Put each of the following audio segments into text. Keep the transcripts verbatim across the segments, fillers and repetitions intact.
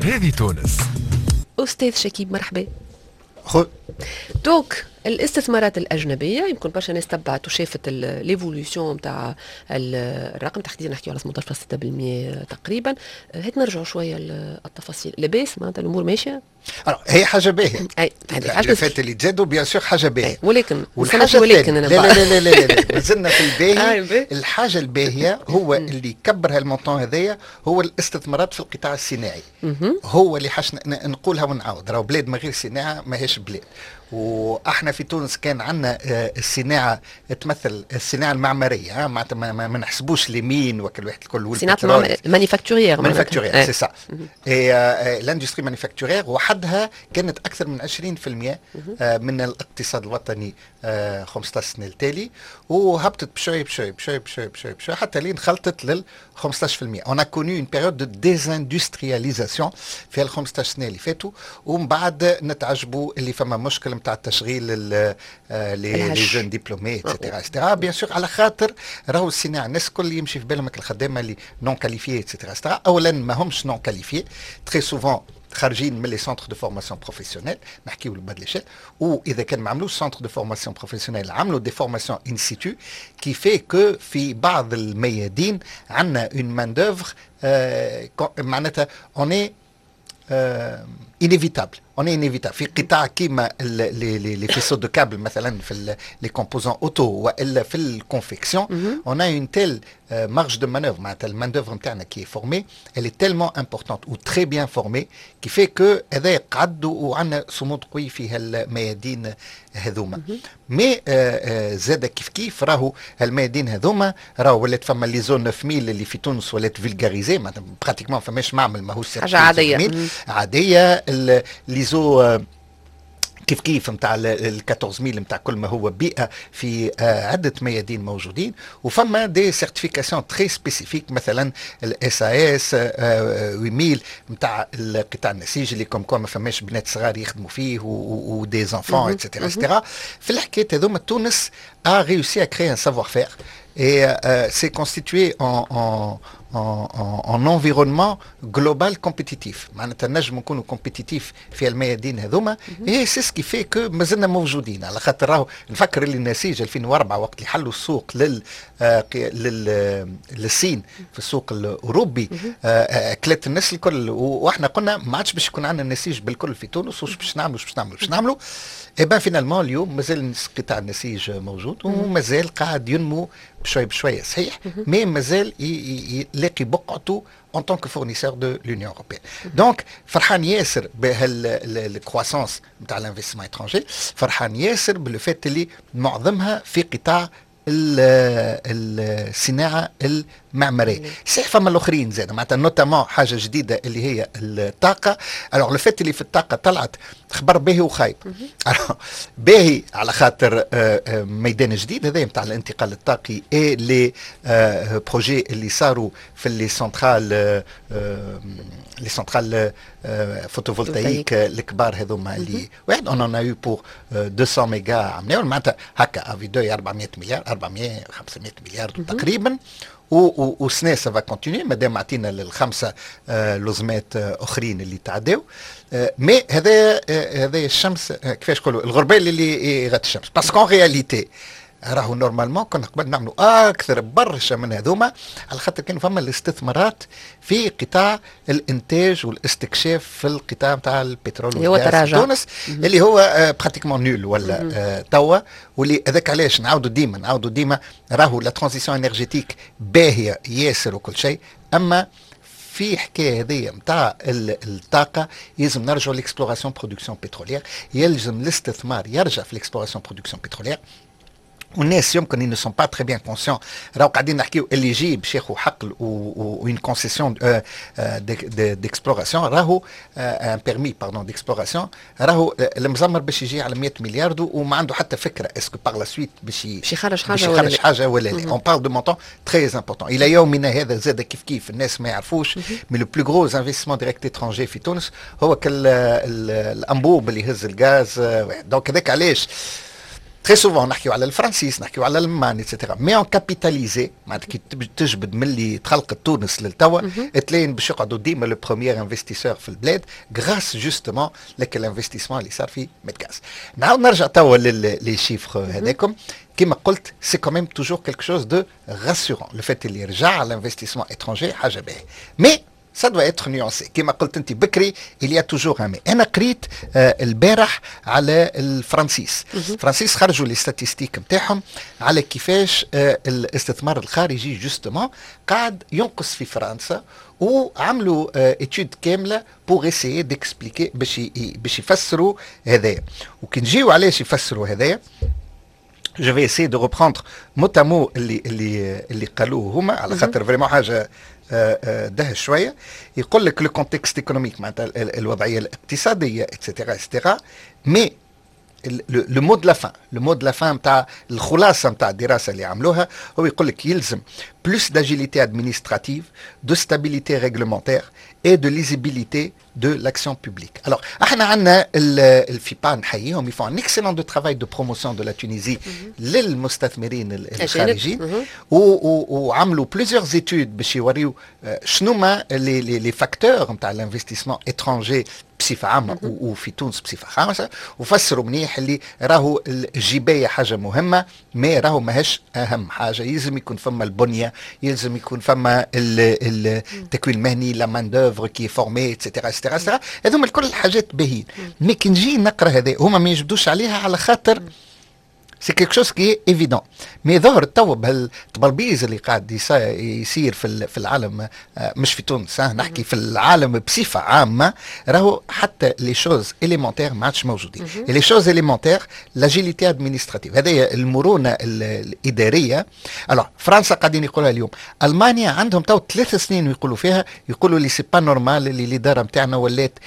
هذه تونس. استاذ شكيب، مرحبا. خو. donc الاستثمارات الاجنبيه، يمكن برشا ناس تبعت وشافت l'évolution نتاع الرقم، تحديدا نحكيو على ثمنطاش فاصلة ستة بالمية تقريبا. هات نرجعوا شوية للتفاصيل. لاباس؟ معناتها الامور ماشيه؟ هي حاجة باهيه. اي. هذه حاجة فات اللي تزادوا، bien sûr حاجة باهيه. ولكن والحاجة ولكن لا لا لا لا لا لا، مازلنا في الباهي. الحاجة الباهيه هو اللي كبر هال montant هذايا هو الاستثمارات في القطاع الصناعي. هو اللي حاش نقولها ونعاود، راهو بلاد من غير صناعة ماهيش بلاد. واحنا في تونس كان عندنا آه، الصناعة تمثل الصناعة المعماريه، معناتها ما, ما نحسبوش les mines وكل واحد الكل. صناعة manufacturière. manufacturière، c'est ça. et l'industrie manufacturière وحدها كانت اكثر من عشرين في المية آه، من الاقتصاد الوطني خمسطاش سنة التالي، وهبطت بشوي بشوي بشوي بشوي بشوي بشوي حتى لين خلطت لل خمسطاش في المية. on a connu une période de désindustrialisation في ال خمسطاش سنة اللي فاتوا، ومن بعد نتعجبوا اللي فما مشكل نتاع التشغيل les jeunes diplômés et cetera et cetera. bien sûr، على خاطر راهو الصناعه، الناس الكل يمشي في بالهم الخدامة اللي non qualifiés et cetera et cetera. اولا ما همش non qualifiés، très souvent خارجين من les centres de formation professionnelle، نحكيو ال bas de l'échelle، واذا كان ما عملوش centre de formation professionnelle عملوا des formations in situ، qui fait que في بعض الميادين عندنا une main d'œuvre معناتها on est inévitable، on est inévitable في قطاع كيما les les faisceaux de câbles مثلا، في les composants auto والا في ال confection. on a une telle marge de manœuvre، معناتها ال main d'œuvre نتاعنا qui est formée، elle est tellement importante و très bien formée، qui fait que هذا قعد وعندنا صمود قوي في هالميادين هذوما. mais زاد كيف كيف راهو الميادين هذوما راهو ولات فما l'ISO تسعة آلاف اللي في تونس ولات vulgarisée، معناتها pratiquement فماش معمل ماهوش حاجة عاديه. عاديه. l'ISO كيف كيف نتاع ال أربعطاش ألف نتاع كل ما هو بيئة في آه، عده ميادين موجودين، وفما des certifications très spécifiques، مثلا ال SAS ثمانية آلاف نتاع القطاع النسيج اللي comme quoi ما فماش بنات صغار يخدموا فيه و des enfants et cetera et cetera. في الحكاية هذوما تونس a réussi à créer un savoir-faire et euh, s'est constitué en, en, en, en environnement global compétitif. معناتها نجم نكونوا compétitifs في الميادين هذوما، et c'est ce qui fait que مازلنا موجودين. على خاطر راهو نفكر اللي النسيج ألفين وأربعة وقت اللي حلوا السوق لل آه لل للصين في السوق الاوروبي آه كلت الناس الكل، واحنا قلنا ما عادش باش يكون عندنا النسيج بالكل في تونس، وش باش نعملوا، باش نعملوا، باش نعملوا. et ben finalement اليوم مازال قطاع النسيج موجود ومازال قاعد ينمو بشوي بشويه، صحيح، mais مازال يلاقي بقعته en tant que fournisseur de l'Union européenne. Donc فرحان ياسر بهال croissance نتاع l'investissement étranger، فرحان ياسر ب le fait اللي معظمها في قطاع الصناعة المعماريه. صحيح فما الاخرين زاد، معناتها notamment حاجة جديدة اللي هي الطاقه. alors le fait اللي في الطاقة طلعت خبر باهي وخايب. باهي على خاطر آه، آه، ميدان جديد هذا نتاع الانتقال الطاقي et les projets اللي صاروا في les centrales les centrales photovoltaïques الكبار هذوما اللي واحد on en a eu pour ميتين ميجا عملناهم، معناتها هكا à vue d'œil أربعمية مليار، أربعمية خمسمية مليار تقريبا. وسنة ça va continuer مادام عطينا للخمسة آه، لزمات آه، اخرين اللي تعداو. mais هذا هذا الشمس، كيفاش نقولوا، الغربال اللي يغطي الشمس، parce qu'en réalité راهو normalement كنا قبل نعملوا اكثر برشا من هذوما، على خاطر كانوا فما الاستثمارات في قطاع الانتاج والاستكشاف في القطاع نتاع البترول اللي هو تراجع. في تونس، اللي هو pratiquement nul ولا آه توا. واللي هذاك علاش نعاودوا ديما نعاودوا ديما، راهو la transition énergétique باهيه ياسر وكل شيء، اما في حكاية هذه نتاع الطاقة يلزم نرجعوا l'exploration production pétrolière، يلزم الاستثمار يرجع في l'exploration production pétrolière. والناس يمكن ne sont pas très bien conscients، راهو قاعدين نحكيو اللي يجي باش ياخذ حقل و une concession d'exploration، راهو un permis pardon d'exploration، راهو المزمر باش يجي على مية مليار وما عنده حتى فكرة est-ce que par la suite باش باش يخرج حاجة باش يخرج حاجة ولا لا. on parle de montants très importants. الى يومنا هذا زاد كيف كيف الناس ما يعرفوش، mais le plus gros investissement direct étranger في تونس هو كال الانبوب اللي يهز الغاز. donc هذاك علاش très souvent نحكيو على الفرنسيس، نحكيو على الالمان et cetera، mais en capitalisé معناتها كي تجبد من اللي تخلقت تونس للتوا، تلاين باش يقعدوا ديما le premier investisseur في البلاد grâce justement لك ال investissement اللي صار في ميدغاز. نعاود نرجع توا les chiffres هذاكم. كما قلت، c'est quand même toujours quelque chose de rassurant le fait اللي رجع l'investissement étranger، حاجة باهيه، mais ça doit être nuancé. كما قلت انت بكري، il y a toujours un mais. انا قريت آه البارح على الفرنسيس. الفرنسيس خرجوا les statistiques نتاعهم على كيفاش آه الاستثمار الخارجي justement قاعد ينقص في فرنسا، وعملوا étude كاملة pour essayer d'expliquer، باش باش يفسروا هذايا. وكي نجيو علاش يفسروا هذايا، je vais essayer de reprendre mot à mot اللي اللي اللي قالوه هما، على خاطر vraiment حاجة آه، آه، دهش شويه. يقول لك le contexte économique، معناتها الوضعية الاقتصاديه، et cetera et cetera، mais le mot de la fin le mot de la fin نتاع الخلاصة نتاع الدراسة اللي عملوها هو يقول لك يلزم plus d'agilité administrative، de stabilité réglementaire et de lisibilité de l'action publique. Alors, احنا عندنا ال FIPA، نحييهم، ils font un excellent de travail de promotion de la Tunisie للمستثمرين الخارجيين، وعملوا plusieurs études باش يوريو شنو ما les les les facteurs نتاع l'investissement étranger بصفة عامة وفي تونس بصفة خاصه، وفسروا منيح اللي راهو الجبايه حاجة مهمه، mais راهو ماهيش اهم حاجه. يلزم يكون فما البنيه، يلزم يكون فما التكوين المهني، la main d'œuvre qui est formée، et cetera et cetera. هذوما الكل الحاجات باهيين، mais كي نجي نقرا هذا، هما ما يجبدوش عليها على خاطر c'est quelque chose qui est évident، mais ظهر تو بهالتبلبيز اللي قاعد يصير في في العالم، آه، مش في تونس، نحكي في العالم بصفة عامه، راهو حتى les choses élémentaires ما عادش موجودين. les choses élémentaires، l'agilité administrative، هذه المرونة الاداريه. alors فرنسا قاعدين يقولها اليوم، المانيا عندهم تو ثلاث سنين يقولوا فيها، يقولوا لي c'est pas normal اللي الادارة نتاعنا ولات،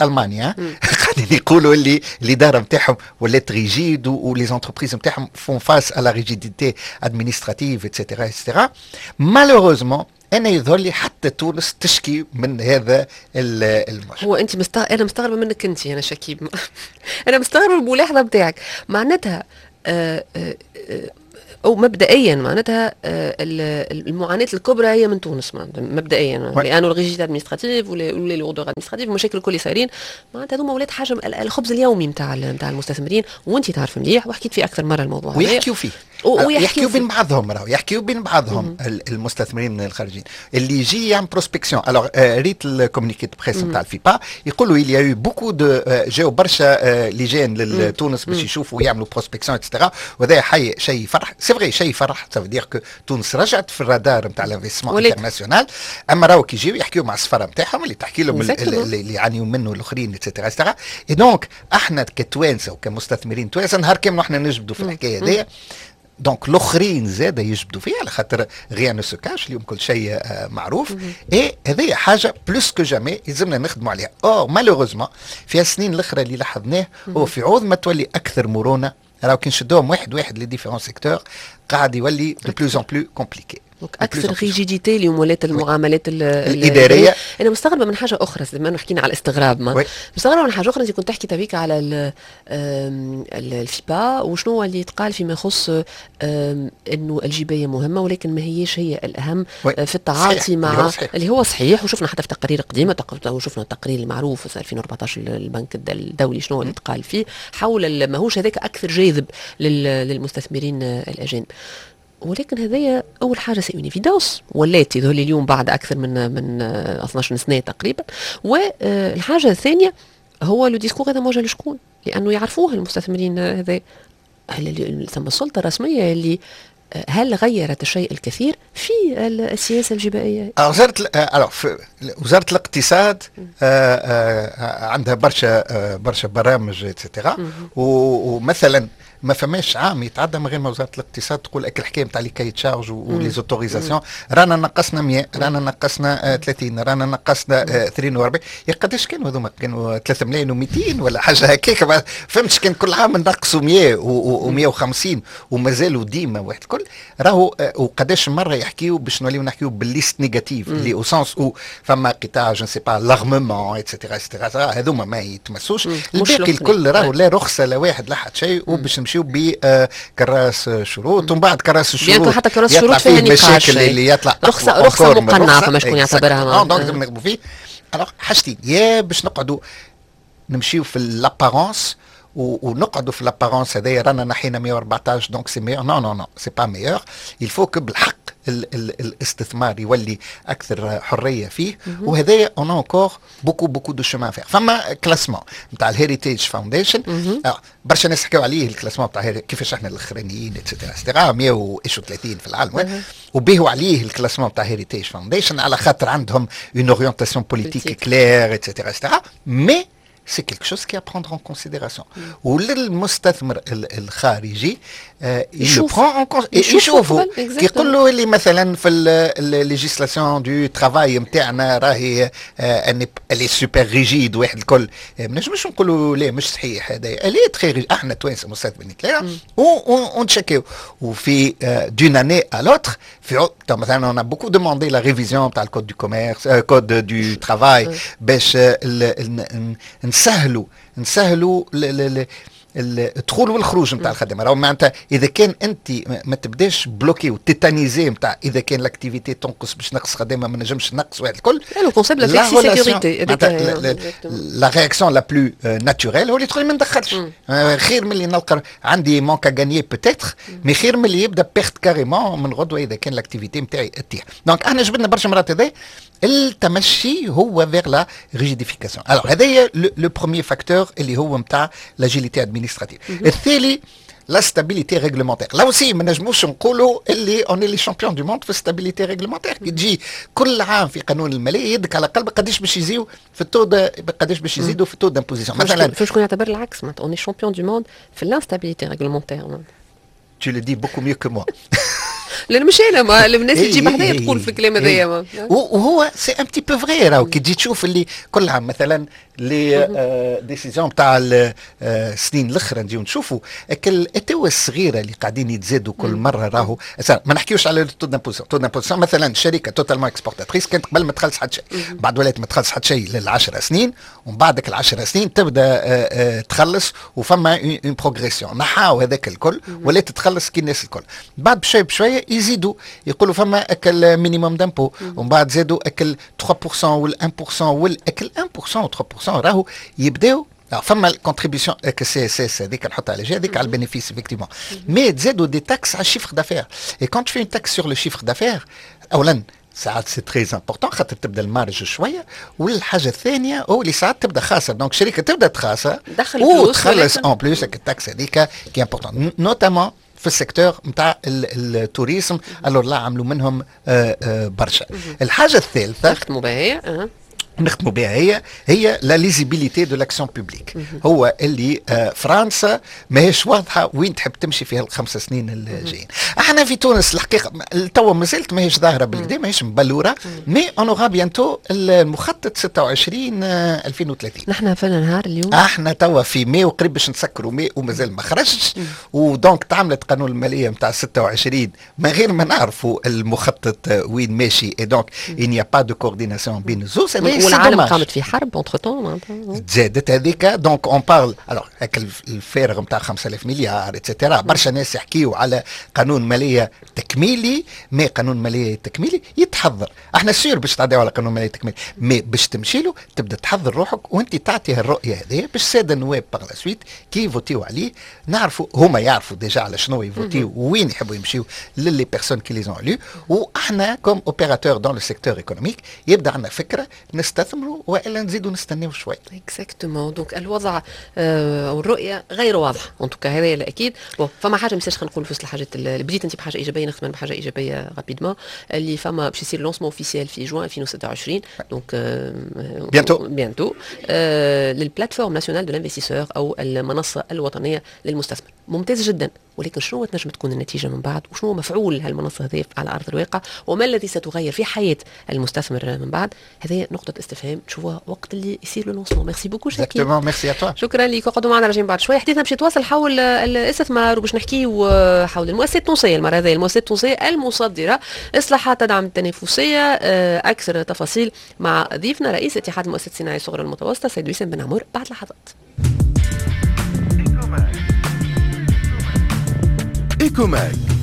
المانيا قاعدين يقولوا اللي الادارة نتاعهم ولات rigide و les entreprises نتاعهم font face à la rigidité administrative، et cetera et cetera. malheureusement انا يظهر لي حتى تونس تشكي من هذا المشكل. هو انت مستغ... انا مستغربه منك انت، انا شكيب، انا مستغربه من الملاحظة نتاعك. معناتها آه آه او مبدئيا معناتها آه، المعاناة الكبرى هي من تونس مبدئيا، لانه ال rigidité administrative ولا les lourdeurs administratives، المشاكل الكل صايرين، معناتها هذوما ولات حاجة الخبز اليومي نتاع نتاع المستثمرين، وانت تعرف مليح وحكيت فيه اكثر مرة الموضوع. ويحكيوا فيه، ويحكيوا بين بعضهم، راهو يحكيوا بين بعضهم المستثمرين الخارجيين اللي يجي يعمل prospection. alors ريت ال communiqué de presse نتاع ال FIPA، يقولوا il y a eu beaucoup de جاو برشا لجان لتونس باش يشوفوا ويعملوا prospection et cetera، وهذا حي شيء فرح، c'est vrai، شيء فرح، ça veut dire que تونس رجعت في الرادار نتاع l'investissement international. اما راهو كي يجيو يحكيو مع السفارة نتاعهم اللي تحكي لهم اللي يعانيوا منه الاخرين et cetera et cetera. et donc احنا كتوانسه وكمستثمرين توانسة نهار كامل احنا نجبدوا في الحكاية هذيا، donc الاخرين زاد يجبدوا فيها، على خاطر rien ne se cache اليوم، كل شيء آه، معروف. et هذه حاجة plus que jamais يلزمنا نخدموا عليها. or malheureusement في السنين الاخرى اللي لاحظناه هو في عوض ما تولي اكثر مرونه، راهو كي نشدوهم واحد واحد les différents secteurs قاعد يولي de plus en plus compliqué. donc اكثر rigidité اليوم ولات المعاملات الاداريه. انا مستغربه من حاجة اخرى، زمان حكينا على الاستغراب، ما مستغربه من حاجة اخرى. انت كنت تحكي تبيك على ال FIPA وشنو اللي يتقال فيما يخص انه الجبايه مهمة ولكن ما هيش هي الاهم في التعاطي صحيح. مع اللي هو صحيح. اللي هو صحيح، وشفنا حتى في تقارير قديمه، وشفنا التقرير المعروف في ألفين وأربعطاش البنك الدولي شنو اللي تقال فيه حول ماهوش هذاك اكثر جاذب للمستثمرين الاجانب. ولكن هذايا اول حاجة c'est une évidence ولات يظهر لي اليوم بعد اكثر من من اثناش سنة تقريبا. والحاجة الثانية هو le discours هذا موجه لشكون؟ لانه يعرفوه المستثمرين هذا. هل ثم السلطة الرسمية اللي هل غيرت الشيء الكثير في السياسة الجبائيه؟ وزارة وزارة الاقتصاد آه، آه، عندها برشا آه، برشا برامج et cetera، ومثلا ما فماش عام يتعدى من غير ما وزارة الاقتصاد تقول اك الحكاية نتاع les cahiers des charges و les autorisations، رانا نقصنا مية، رانا نقصنا ثلاثين، رانا نقصنا اثنين وأربعين. يا قداش كانوا هذوما؟ كانوا ثلاثة ملايين ومئتين ولا حاجة هكاك، فهمتش؟ كان كل عام نقصوا مية ومية وخمسين ومازالوا ديما واحد الكل راهو. آه، وقداش مرة يحكيوا باش نوليو نحكيو بال liste négative، اللي au sens où فما قطاع، je sais pas، l'armement et cetera et cetera، هذوما ما يتمسوش، الباقي الكل راهو لا رخصه لا واحد لا حد شيء وباش نمشيو بكراس شروط، ومن بعد كراس الشروط حتى كراس الشروط فيها نقاش، اللي يطلع رخصه رخصه مقنعة فما شكون يعتبرها. donc نخدموا فيه. alors حاجتين، يا باش نقعدوا نمشيو في l'apparence ونقعدوا في l'apparence، هذايا رانا نحينا مية وأربعطاش donc c'est meilleur. non non non، c'est pas meilleur. il faut que بالحق ال ال الاستثمار يولي اكثر حرية فيه، وهذايا on a encore beaucoup beaucoup de chemin à faire. فما classement نتاع ال Heritage Foundation، برشا ناس حكاو عليه ال classement نتاع كيفاش احنا الاخرانيين et cetera et cetera، مية وثلاثين في العالم، وبيهوا عليه ال classement نتاع Heritage Foundation على خاطر عندهم une orientation politique claire et cetera et cetera، mais c'est quelque chose qui est à prendre en considération. وللمستثمر الخارجي il le prend en compte، يشوفوا يقول له اللي مثلا في ال législation du travail نتاعنا راهي elle est super rigide واحد الكل، ما نجمش نقولوا لا مش صحيح هذا، elle est très rigide. احنا توانسة مستثمرين clair ونتشكيو، وفي d'une année à l'autre في مثلا on a beaucoup demandé la révision تاع ال code du commerce، code du travail، باش نسهلوا نسهلوا الدخول والخروج نتاع الخدمه. راهو معناتها اذا كان انت ما تبداش bloqué و tétanisé نتاع اذا كان l'activité تنقص باش نقص خدامه ما نجمش نقص واحد الكل. le concept la flexisécurité. la réaction la plus naturelle هو اللي تقول ما ندخلش، خير من اللي نلقى عندي manque à gagner peut-être، mais خير من اللي يبدا perte carrément من غدوه اذا كان l'activité نتاعي تطيح. donc احنا جبدنا برشا مرات هذا التمشي هو vers la rigidification. alors هذايا le premier facteur اللي هو نتاع l'agilité administrative. الثاني la stabilité réglementaire. là aussi ما نجموش نقولوا اللي on est les champions du monde في stabilité réglementaire. كي تجي كل عام في قانون المالية يدك على قلبك قداش باش يزيو في ال taux، قداش باش يزيدوا في ال taux d'imposition مثلا. فاش شكون يعتبر العكس، معناتها on est champion du monde في l'instabilité réglementaire. Tu le dis beaucoup mieux que moi. لان مش انا، ما الناس اللي تجيب حدايا تقول في الكلام هذايا. وهو c'est un petit peu vrai. راهو كي تجي تشوف اللي كل عام مثلا les décisions تاع السنين الاخرى، نجيو نشوفوا الاتوه الصغيرة اللي قاعدين يتزادوا كل مره. راهو ما نحكيوش على taux d'imposition. taux d'imposition مثلا شركة totalement exportatrice كانت قبل ما تخلص حتى شيء، بعد ولات ما تخلص حتى شيء للعشر سنين، ومن بعدك العشر سنين تبدا تخلص وفما une progression. نحاو هذاك الكل، ولات تخلص كي الناس الكل. بعد بشوي بشوية يزيدوا يقولوا فما اك ال minimum d'impôt، ومن بعد زادوا اك ال ثلاثة في المية وال واحد في المية والاك ال واحد في المية و ثلاثة في المية. راهو يبداو فما ال contribution CSS هذيك نحطها على جهه، هذيك على ال bénéfice effectivement، mais تزادوا des taxes على ال chiffre d'affaires، et quand tu fais une taxe sur le chiffre d'affaires، اولا ساعات c'est très important خاطر تبدا ال marge شويه، والحاجة الثانية هو اللي ساعات تبدا خاسر، donc شركة تبدا تخاسر دخل فلوس وتخلص en plus ال taxe هذيك qui est importante، notamment في ال secteur نتاع ال tourisme. alors là عملوا منهم آه، آه، برشا. الحاجة الثالثة نختموا بها هي. نختموا بها هي هي la lisibilité de l'action publique. هو اللي آه، فرنسا ماهيش واضحة وين تحب تمشي في الخمس سنين الجايين. احنا في تونس الحقيقة توا مازالت ماهيش ظاهره بالكدا، ماهيش مبلوره، mais on aura bientôt المخطط ستة وعشرين ألفين وثلاثين. نحن في نهار اليوم؟ احنا توا في ماي وقريب باش نسكروا ماي ومازال ما خرجش، و donc تعملت قانون المالية نتاع ستة وعشرين من غير ما نعرفوا المخطط وين ماشي، et donc il n'y a pas de coordination بين الزوز. والعالم قامت في حرب entre temps معناتها. تزادت هذيك. donc on parle alors الفارغ نتاع خمسة آلاف مليار et cetera. برشا ناس يحكيوا على قانون ماليه تكميلي، mais قانون ماليه تكميلي يتحضر. احنا sûr باش تعديو على قانون ماليه تكميلي، mais باش تمشي له تبدا تحضر روحك وانت تعطي الرؤية هذه باش السادة النواب par la suite كي يفوتيو عليه نعرفوا، هما يعرفوا déjà على شنو يفوتيو وين يحبوا يمشيو les personnes qui les ont élues، واحنا comme opérateurs dans le secteur économique يبدا عندنا فكرة نستثمروا والا نزيدوا نستناو شوي. exactement، donc الوضع آه، او الرؤية غير واضحة en tout cas، هذا الاكيد. bon، فما حاجة مش خلينا نقول في وسط الحاجات اللي بديت انت بحاجة ايجابيه، نختم بحاجة ايجابية rapidement، اللي فما باش يصير lancement officiel في جوان ألفين وستة وعشرين، donc bientôt. bientôt، لل plateforme nationale de l'investisseur او المنصة الوطنية للمستثمر. ممتاز جدا، ولكن شنو تنجم تكون النتيجة من بعد؟ وشنو مفعول هالمنصه هذه على ارض الواقع؟ وما الذي ستغير في حياة المستثمر من بعد؟ هذه نقطة استفهام تشوفوها وقت اللي يصير le lancement. merci beaucoup شاكير. merci à toi. شكرا لك. اقعدوا معنا، راجعين بعد شوي. حديثنا باش يتواصل حول الاستثمار وباش نحكيو حول المؤسسات التونسيه، المرة هذه المؤسسات التونسية المصدره، اصلاحات تدعم التنافسيه. آه، اكثر تفاصيل مع ضيفنا رئيس اتحاد المؤسسات الصناعية الصغرى المتوسطة سيد وسام بن عمر بعد لحظات. Ecomag.